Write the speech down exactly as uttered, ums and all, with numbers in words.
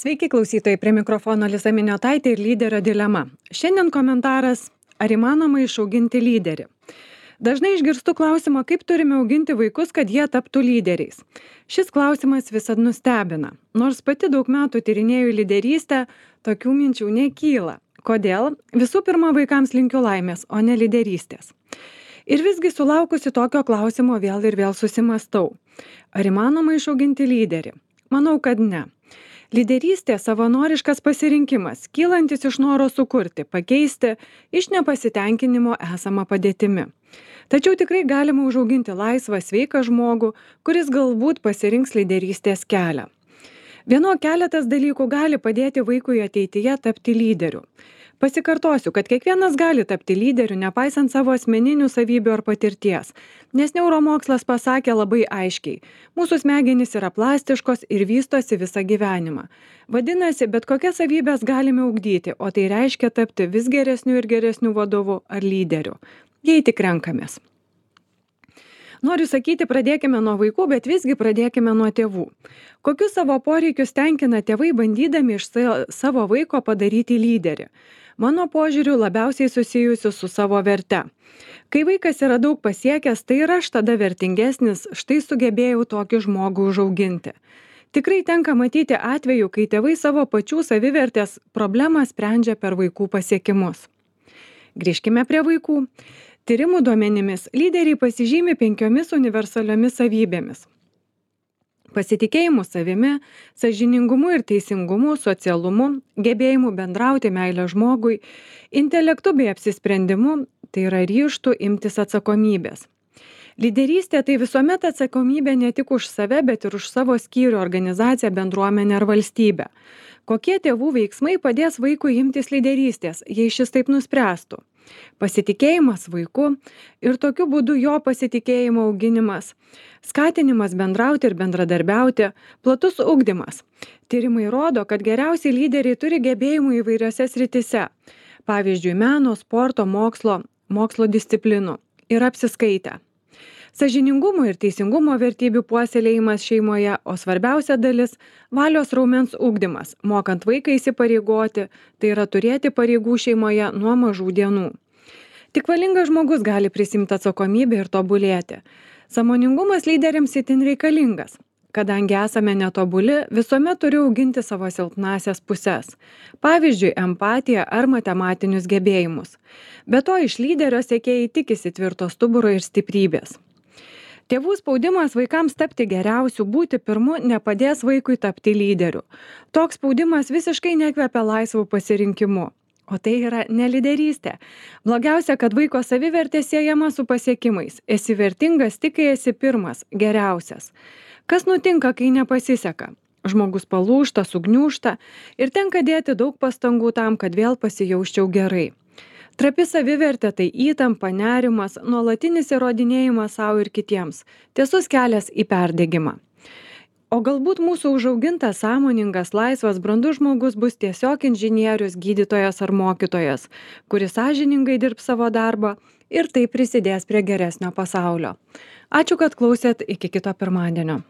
Sveiki klausytojai, prie mikrofono Lisa Miniotaitė ir lyderio dilema. Šiandien komentaras, ar įmanoma išauginti lyderį. Dažnai išgirstu klausimą, kaip turime auginti vaikus, kad jie taptų lyderiais. Šis klausimas visad nustebina. Nors pati daug metų tyrinėju lyderystę, tokių minčių nekyla. Kodėl? Visų pirma, vaikams linkiu laimės, o ne lyderystės. Ir visgi sulaukusi tokio klausimo vėl ir vėl susimastau. Ar įmanoma išauginti lyderį? Manau, kad ne. Lyderystė savanoriškas pasirinkimas, kylantis iš noro sukurti, pakeisti iš nepasitenkinimo esamą padėtimi. Tačiau tikrai galima užauginti laisvą, sveiką žmogų, kuris galbūt pasirinks lyderystės kelią. Vieno keletas dalykų gali padėti vaikui ateityje tapti lyderiu. Pasikartosiu, kad kiekvienas gali tapti lyderiu, nepaisant savo asmeninių savybių ar patirties, nes neuromokslas pasakė labai aiškiai, mūsų smegenys yra plastiškos ir vystosi visą gyvenimą. Vadinasi, bet kokias savybės galime ugdyti, o tai reiškia tapti vis geresniu ir geresniu vadovu ar lyderiu, jei tik renkamės. Noriu sakyti, pradėkime nuo vaikų, bet visgi pradėkime nuo tėvų. Kokius savo poreikius tenkina tėvai, bandydami iš savo vaiko padaryti lyderį? Mano požiūriu labiausiai susijusiu su savo verte. Kai vaikas yra daug pasiekęs, tai ir aš tada vertingesnis, štai sugebėjau tokį žmogų užauginti. Tikrai tenka matyti atvejų, kai tėvai savo pačių savivertės problemą sprendžia per vaikų pasiekimus. Grįžkime prie vaikų. Tyrimų duomenimis lyderiai pasižymi penkiomis universaliomis savybėmis. Pasitikėjimu savimi, sąžiningumu ir teisingumu, socialumu, gebėjimu bendrauti meilę žmogui, intelektu bei apsisprendimu, tai yra ryžtu imtis atsakomybės. Lyderystė tai visuomet atsakomybė ne tik už save, bet ir už savo skyrių, organizaciją, bendruomenę ar valstybę. Kokie tėvų veiksmai padės vaikui imtis lyderystės, jei šis taip nuspręstų? Pasitikėjimas vaiku ir tokiu būdu jo pasitikėjimo auginimas, skatinimas bendrauti ir bendradarbiauti, platus ugdymas. Tyrimai rodo, kad geriausi lyderiai turi gebėjimų įvairiose srityse, pavyzdžiui, meno, sporto, mokslo, mokslo disciplinų ir apsiskaitę. Sąžiningumo ir teisingumo vertybių puoselėjimas šeimoje, o svarbiausia dalis – valios raumens ugdymas, mokant vaiką įsipareigoti, tai yra turėti pareigų šeimoje nuo mažų dienų. Tik valingas žmogus gali prisimti atsakomybę ir tobulėti. Sąmoningumas lyderiams itin reikalingas. Kadangi esame netobuli, visuomet turiu auginti savo silpnąsias puses. Pavyzdžiui, empatiją ar matematinius gebėjimus. Be to, iš lyderio sekėjai tikisi tvirto stuburo ir stiprybės. Tėvų spaudimas vaikams tapti geriausiu, būti pirmu, nepadės vaikui tapti lyderiu. Toks spaudimas visiškai nekvepia laisvų pasirinkimų. O tai yra ne lyderystė. Blogiausia, kad vaiko savivertė siejama su pasiekimais. Esi vertingas tik, kai esi pirmas, geriausias. Kas nutinka, kai nepasiseka? Žmogus palūžta, sugniūžta ir tenka dėti daug pastangų tam, kad vėl pasijausčiau gerai. Trapi savivertė tai įtampa, nerimas, nuolatinis įrodinėjimas savo ir kitiems. Tiesus kelias į perdegimą. O galbūt mūsų užaugintas, sąmoningas, laisvas, brandus žmogus bus tiesiog inžinierius, gydytojas ar mokytojas, kuris sąžiningai dirbs savo darbą ir tai prisidės prie geresnio pasaulio. Ačiū, kad klausėt, iki kito pirmadienio.